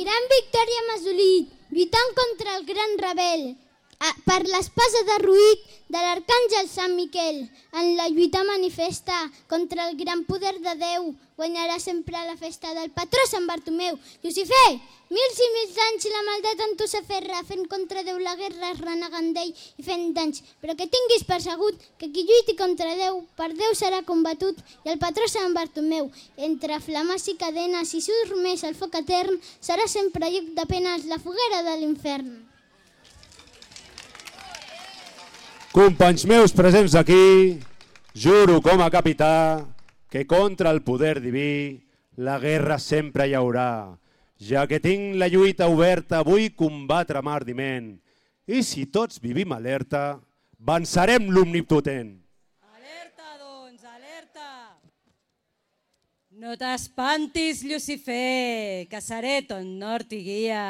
Gran victòria hem assolit, lluitant contra el gran rebel, per l'espasa derruït de l'arcàngel Sant Miquel. En la lluita manifesta contra el gran poder de Déu, guanyarà sempre la festa del patró Sant Bartomeu. Lucifer, mils i mils anys la maldat en tu s'aferra, fent contra Déu la guerra, renegant d'ell i fent danys. Però que tinguis persegut que qui lluiti contra Déu, per Déu serà combatut, i el patró Sant Bartomeu, entre flames i cadenes i surt més el foc etern, serà sempre lloc de penes la foguera de l'infern. Companys meus presents aquí, juro com a capità que contra el poder diví la guerra sempre hi haurà. Ja que tinc la lluita oberta, vull combatre amb ardiment. I si tots vivim alerta, vencerem l'omnipotent. Alerta, doncs, alerta! No t'espantis, Lucifer, que seré ton nord i guia.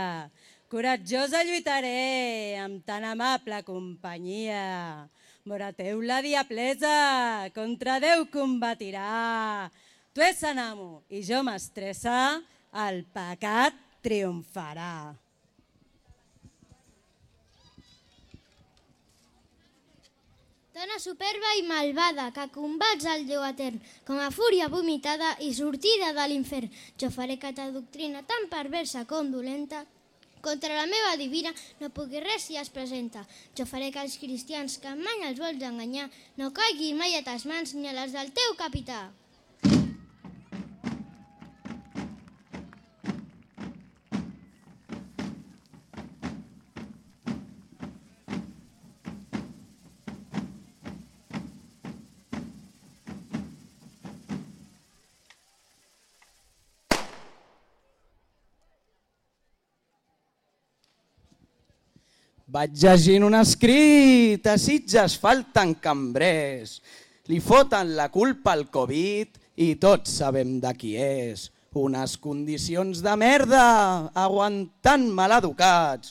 Coratjosa lluitaré amb tan amable companyia. Vora teu la diablesa contra Déu combatirà. Tu ets en amo i jo mestressa, el pecat triomfarà. Dona superba i malvada, que combats el Déu etern, com a fúria vomitada i sortida de l'infern. Jo faré que ta doctrina tan perversa com dolenta, contra la meva divina no pugui res si es presenta. Jo faré que els cristians que mai els vols enganyar no caiguin mai a tes mans ni a les del teu capità. Vaig llegint un escrit, a Sitges falten cambrers. Li foten la culpa al Covid i tots sabem de qui és. Unes condicions de merda, aguantant maleducats.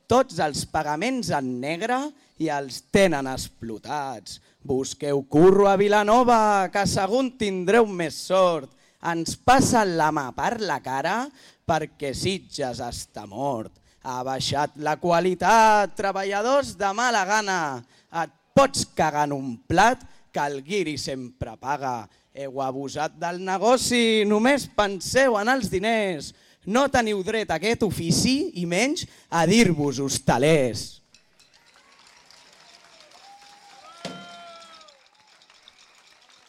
Tots els pagaments en negre i els tenen explotats. Busqueu curro a Vilanova, que segon tindreu més sort. Ens passen la mà per la cara perquè Sitges està mort. Ha baixat la qualitat, treballadors de mala gana. Et pots cagar en un plat que el guiri sempre paga. Heu abusat del negoci, només penseu en els diners. No teniu dret a aquest ofici i menys a dir-vos hostalers.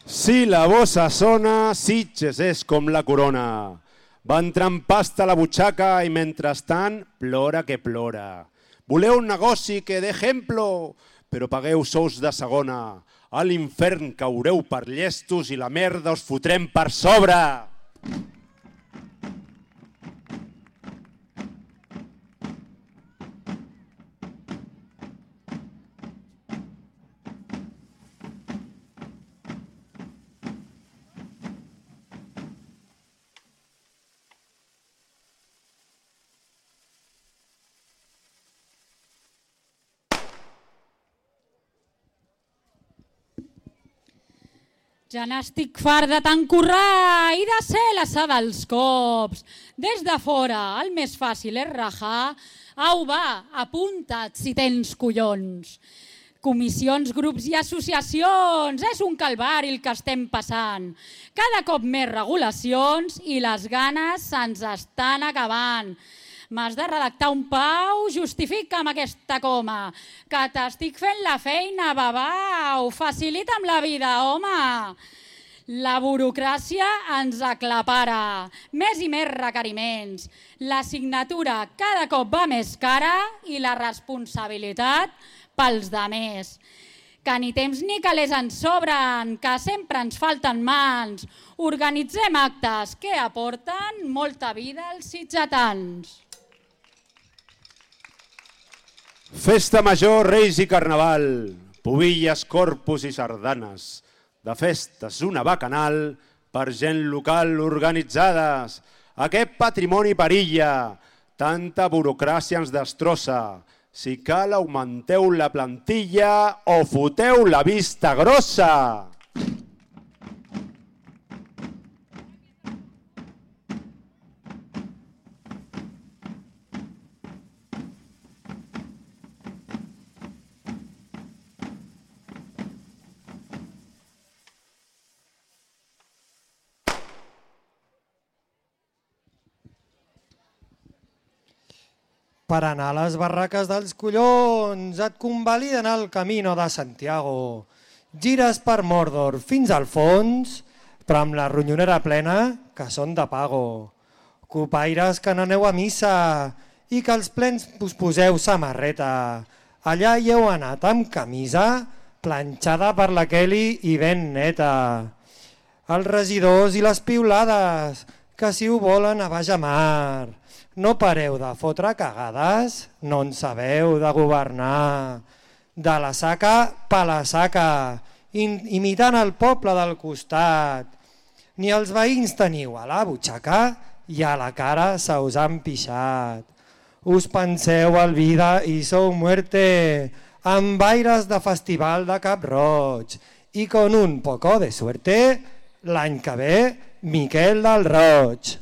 Si la bossa sona, Sitges és com la corona. Va entrar en pasta a la butxaca i mentrestant plora que plora. Voleu un negoci que d'exemplo, però pagueu sous de segona. A l'infern caureu per llestos i la merda us fotrem per sobre. Ja n'estic fart de tant currar i de ser l'assà dels cops. Des de fora el més fàcil és rajar. Au, va, apunta't si tens collons. Comissions, grups i associacions, és un calvari el que estem passant. Cada cop més regulacions i les ganes se'ns estan acabant. M'has de redactar un pau, justifica'm aquesta coma, que t'estic fent la feina, babau, facilita'm la vida, home. La burocràcia ens aclapara, més i més requeriments. La signatura cada cop va més cara i la responsabilitat pels demés. Que ni temps ni calés ens sobren, que sempre ens falten mans. Organitzem actes que aporten molta vida als sitgetans. Festa major, Reis i Carnaval, pubilles, corpus i sardanes. De festes una bacanal per gent local organitzades. Aquest patrimoni perilla, tanta burocràcia ens destrossa. Si cal, augmenteu la plantilla o foteu la vista grossa. Per anar a les barraques dels collons et convaliden el Camino de Santiago. Gires per Mordor fins al fons, però amb la ronyonera plena que són de pago. Copaires que n'aneu a missa i que als plens us poseu samarreta. Allà hi heu anat amb camisa, planxada per la Kelly i ben neta. Els regidors i les piulades, que si ho volen a baix a mar. No pareu de fotre cagades, no en sabeu de governar. De la saca pa la saca, imitant el poble del costat. Ni els veïns teniu a la butxaca i a la cara se us han pixat. Us penseu el vida i sou muerte, amb aires de festival de Cap Roig. I con un poco de suerte, l'any que ve, Miquel del Roig.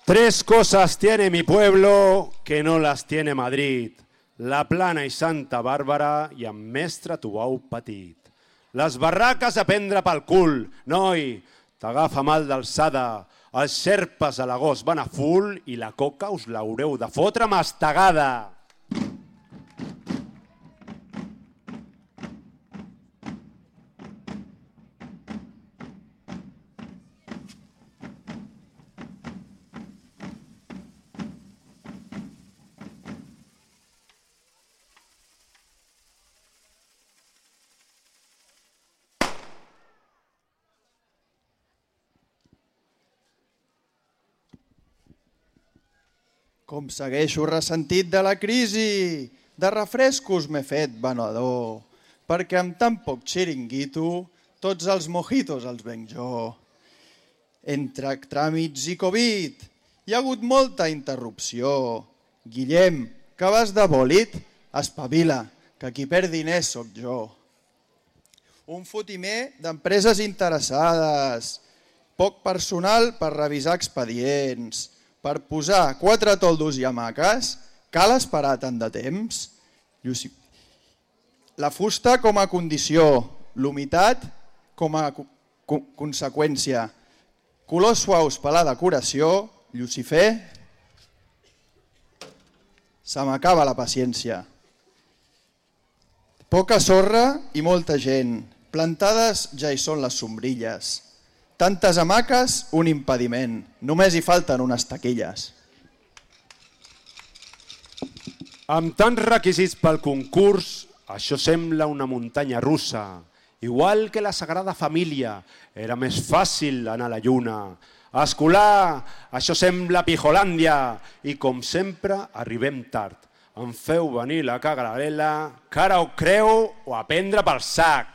Tres cosas tiene mi pueblo que no las tiene Madrid. La Plana i Santa Bàrbara i amb mestre Tubau Petit. Les barraques a prendre pel cul, noi, t'agafa mal d'alçada. Els xerpes a l'agost van a full i la coca us l'haureu de fotre mastegada. Com segueixo ressentit de la crisi, de refrescos m'he fet venedor, perquè amb tan poc xiringuito tots els mojitos els venc jo. Entre tràmits i Covid hi ha hagut molta interrupció. Guillem, que vas de bòlit, espavila, que qui perd diners sóc jo. Un fotimer d'empreses interessades, poc personal per revisar expedients. Per posar 4 toldos i hamaques, cal esperar tant de temps? La fusta com a condició, l'humitat com a conseqüència. Colors suaus per la decoració, Llucifer, se m'acaba la paciència. Poca sorra i molta gent, plantades ja hi són les sombrilles. Tantes hamaques, un impediment. Només hi falten unes taquilles. Amb tants requisits pel concurs, això sembla una muntanya russa. Igual que la Sagrada Família, era més fàcil anar a la lluna. Escolar, això sembla Pijolàndia. I com sempre, arribem tard. Em feu venir la cagarela, que ara ho creu o a prendre pel sac.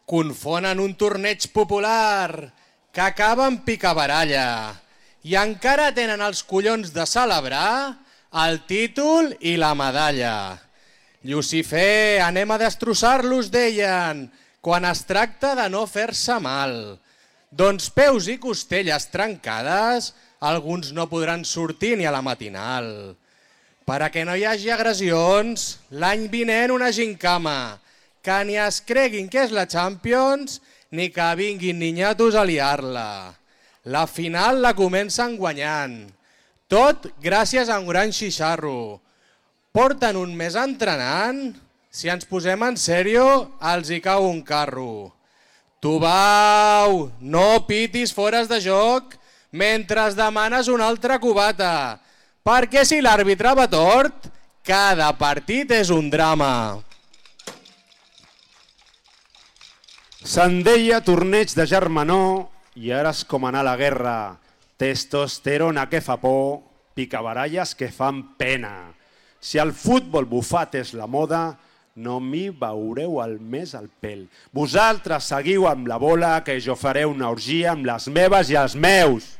Confonen un torneig popular que acaba en picabaralla i encara tenen els collons de celebrar el títol i la medalla. Llucifer, anem a destrossar-los, deien, quan es tracta de no fer-se mal. Doncs peus i costelles trencades, alguns no podran sortir ni a la matinal. Per a que no hi hagi agressions, l'any vinent una gincama, que ni es creguin que és la Champions, ni que vinguin niñatos a liar-la. La final la comencen guanyant. Tot gràcies a un gran xixarro. Porten un mes entrenant, si ens posem en sèrio, els hi cau un carro. Tubau, no pitis fores de joc mentre es demanes una altra cubata, perquè si l'àrbitre va tort, cada partit és un drama. Se'n deia torneig de germanor i ara és com anar a la guerra. Testosterona que fa por, picabaralles que fan pena. Si el futbol bufat és la moda, no m'hi veureu al mes al pèl. Vosaltres seguiu amb la bola que jo faré una orgia amb les meves i els meus.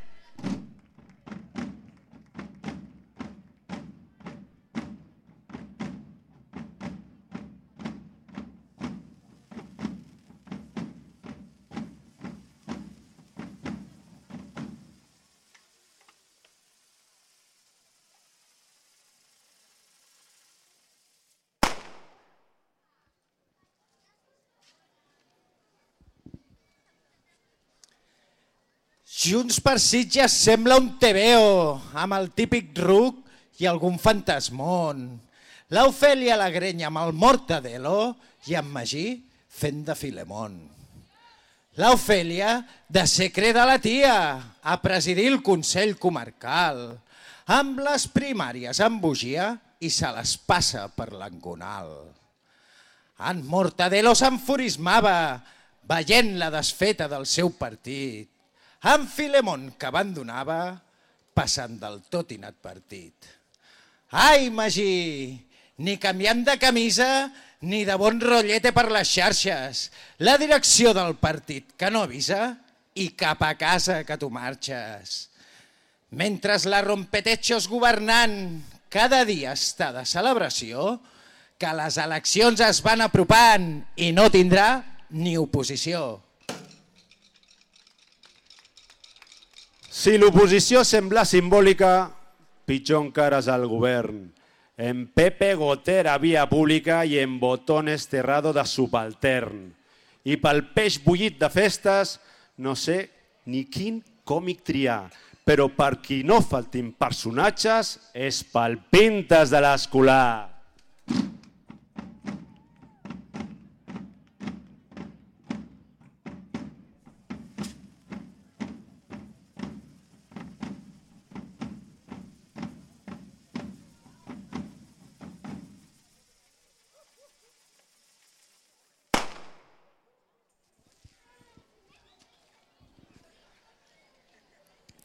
Junts per Sitges sembla un tebeo, amb el típic ruc i algun fantasmón. L'Ofèlia la grenya amb el Mortadelo i en Magí fent de Filemón. L'Ofèlia de ser creda la tia a presidir el Consell Comarcal, amb les primàries en bugia i se les passa per l'engonal. En Mortadelo s'enfurismava veient la desfeta del seu partit. En Filemón, que abandonava, passant del tot inadvertit. Ai, Magí, ni canviant de camisa ni de bon rotllete per les xarxes. La direcció del partit que no avisa i cap a casa que tu marxes. Mentre la Rompetechos governant cada dia està de celebració, que les eleccions es van apropant i no tindrà ni oposició. Si l'oposició sembla simbòlica, pitjor encara és el govern. En Pepe Gotera via pública i en Botones Terrado de subaltern. I pel peix bullit de festes, no sé ni quin còmic triar, però per qui no faltin personatges és pel Pintes de l'Escolar.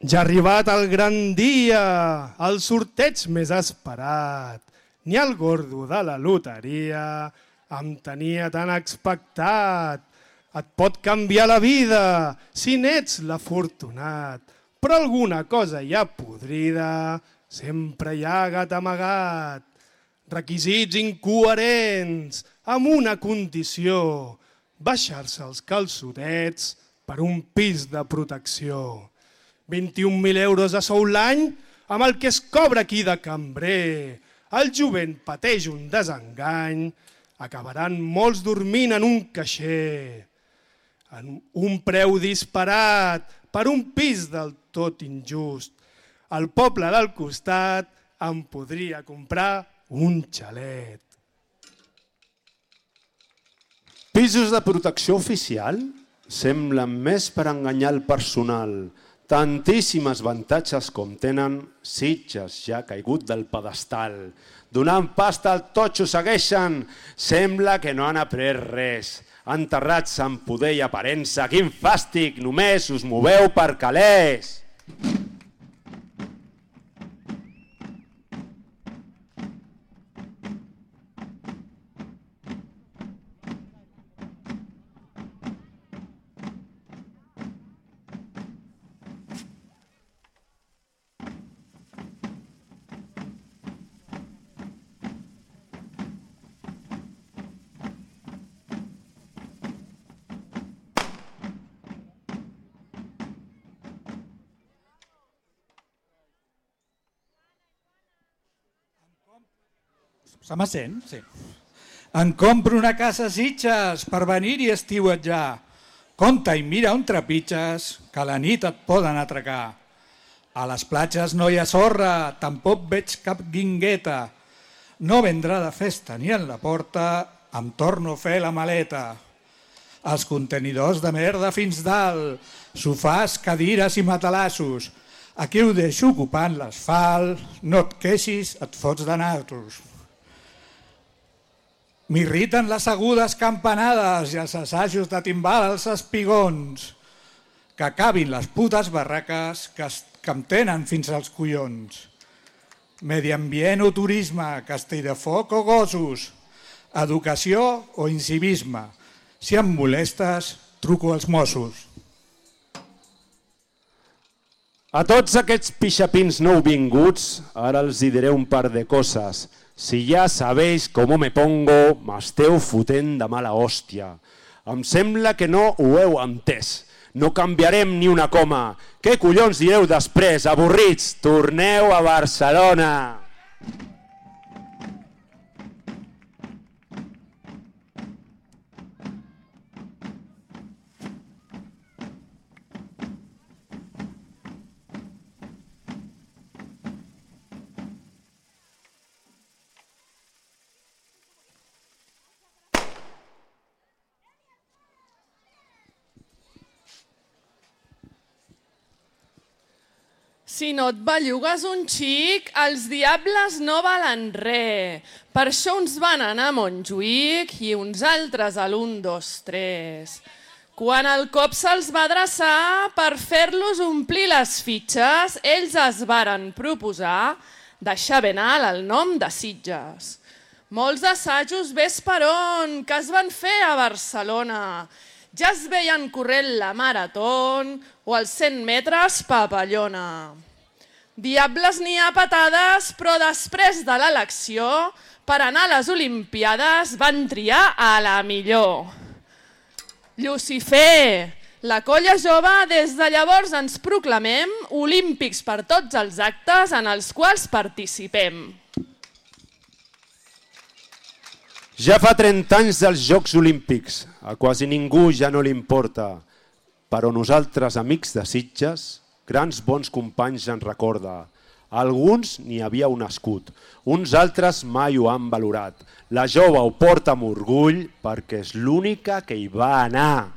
Ja ha arribat el gran dia, el sorteig més esperat. Ni el gordo de la loteria em tenia tan expectat. Et pot canviar la vida si n'ets l'afortunat, però alguna cosa ja podrida sempre hi ha gat amagat. Requisits incoherents amb una condició, baixar-se els calçotets per un pis de protecció. 21.000 euros a sou l'any amb el que es cobra aquí de cambrer. El jovent pateix un desengany, acabaran molts dormint en un caixer. En un preu disparat per un pis del tot injust. El poble del costat em podria comprar un xalet. Pisos de protecció oficial semblen més per enganyar el personal. Tantíssimes avantatges com tenen, Sitges ja ha caigut del pedestal. Donant pasta al totxo segueixen, sembla que no han après res. Enterrats en poder i aparença, quin fàstic, només us moveu per calés. Se m'assent? Sí. Em compro una casa a Sitges per venir-hi estiuetjar. Compte i mira on trepitges, que a la nit et poden atracar. A les platges no hi ha sorra, tampoc veig cap guingueta. No vendrà de festa ni en la porta, em torno a fer la maleta. Els contenidors de merda fins dalt, sofàs, cadires i matalassos. Aquí ho deixo ocupant l'asfalt, no et queixis, et fots de nasos. M'irriten les agudes campanades i els assajos de timbal als espigons. Que acabin les putes barraques que em tenen fins als collons. Medi ambient o turisme, castell de foc o gossos, educació o incivisme. Si em molestes, truco als Mossos. A tots aquests pixapins nouvinguts, ara els diré un par de coses. Si ja sabeu com me pongo, m'esteu fotent de mala hòstia. Em sembla que no ho heu entès. No canviarem ni una coma. Què collons direu després, avorrits? Torneu a Barcelona! Si no et bellugues un xic, els diables no valen res. Per això uns van anar a Montjuïc i uns altres a l'1, 2, 3. Quan el cop se'ls va adreçar per fer-los omplir les fitxes, ells es varen proposar deixar ben alt el nom de Sitges. Molts assajos ves per on que es van fer a Barcelona. Ja es veien corrent la marató o els 100 metres papallona. Diables n'hi ha patades, però després de l'elecció, per anar a les Olimpiades van triar a la millor. Llucifer, la colla jove, des de llavors ens proclamem olímpics per tots els actes en els quals participem. Ja fa 30 anys dels Jocs Olímpics, a quasi ningú ja no li importa, però nosaltres, amics de Sitges, grans bons companys en recorda. Alguns n'hi havíeu nascut, uns altres mai ho han valorat. La jove ho porta amb orgull perquè és l'única que hi va anar.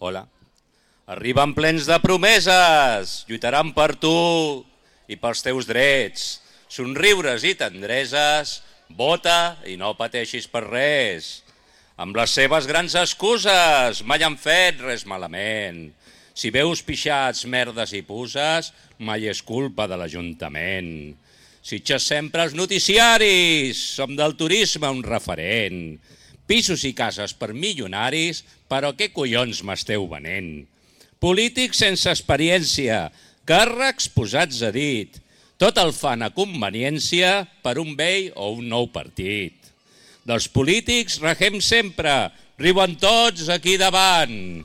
Hola. Arriben plens de promeses, lluitaran per tu i pels teus drets. Somriures i tendreses, vota i no pateixis per res. Amb les seves grans excuses mai han fet res malament. Si veus pixats, merdes i puces, mai és culpa de l'Ajuntament. Sitges sempre als noticiaris, som del turisme un referent. Pisos i cases per milionaris, però què collons m'esteu venent? Polítics sense experiència, càrrecs posats a dit. Tot el fan a conveniència per un vell o un nou partit. Dels polítics regem sempre, riuen tots aquí davant.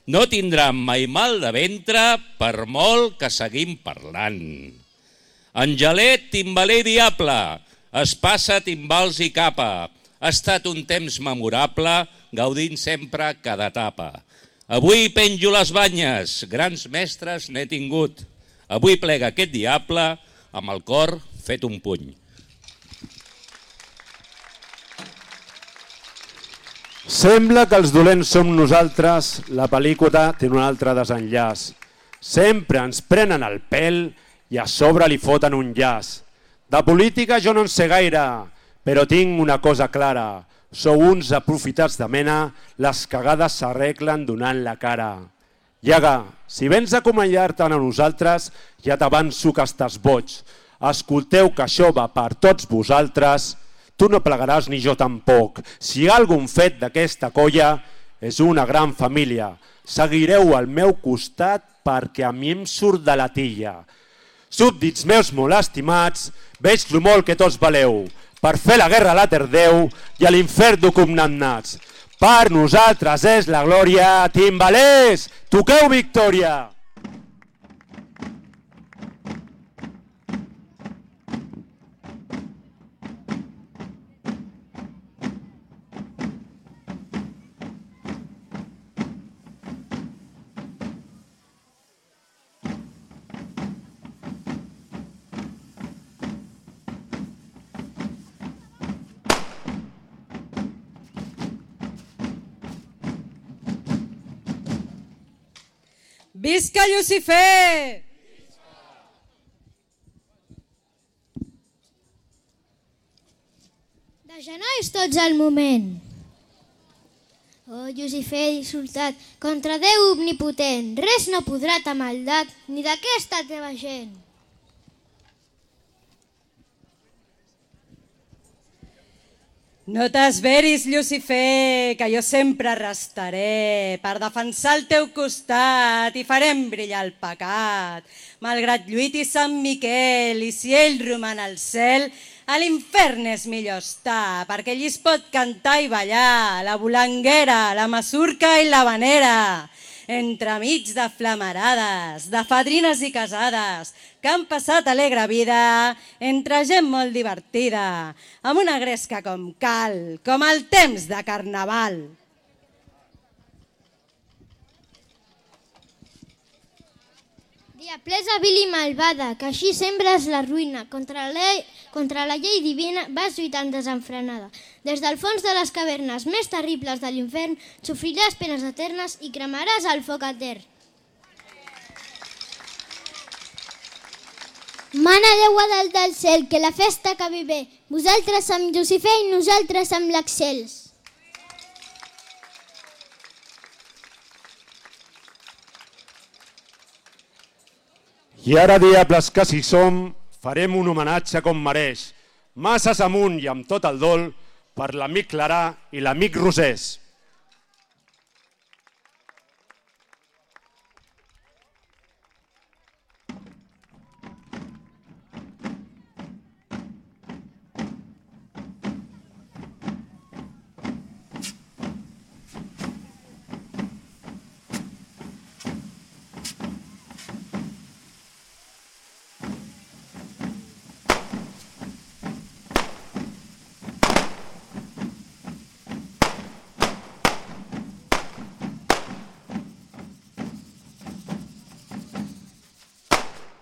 No tindran mai mal de ventre per molt que seguim parlant. Angelet, timbaler i diable, es passa timbals i capa. Ha estat un temps memorable, gaudint sempre cada etapa. Avui penjo les banyes, grans mestres n'he tingut. Avui plega aquest diable amb el cor fet un puny. Sembla que els dolents som nosaltres, la pel·lícula té un altre desenllaç. Sempre ens prenen el pèl i a sobre li foten un llaç. De política jo no en sé gaire, però tinc una cosa clara. Sou uns aprofitats de mena, les cagades s'arreglen donant la cara. Iaga, si vens a acompanyar-te'n a nosaltres, ja t'avanço que estàs boig. Escolteu que això va per tots vosaltres, tu no plegaràs ni jo tampoc. Si hi ha algun fet d'aquesta colla, és una gran família. Seguireu al meu costat perquè a mi em surt de la tilla. Súbdits meus molt estimats, veig lo molt que tots valeu, per fer la guerra a l'Eterdeu i a l'infern condemnats. Per nosaltres és la glòria, timbalers, toqueu victòria! Visca Llucifer! De genolls tots al moment. Oh, Llucifer dissortat, contra Déu omnipotent, res no podrà ta maldat ni d'aquesta teva gent. No t'esveris, Llucifer, que jo sempre restaré per defensar el teu costat i farem brillar el pecat. Malgrat lluiti Sant Miquel i si ell roman al cel, a l'infern és millor estar, perquè allí es pot cantar i ballar, la volanguera, la masurca i la vanera. entremig de flamarades, de fadrines i casades, que han passat alegre vida entre gent molt divertida, amb una gresca com cal, com el temps de carnaval. Diablesa vil i malvada, que així sembres la ruïna. Contra la llei divina vas lluitant desenfrenada. Des del fons de les cavernes més terribles de l'infern sofriràs penes eternes i cremaràs el foc etern. Mana Déu dalt del cel, que la festa acabi bé. Vosaltres amb Llucifer i nosaltres amb l'Excels. I ara, diables que si som, farem un homenatge com mereix, masses amunt i amb tot el dol, per l'amic Clarà i l'amic Rosés.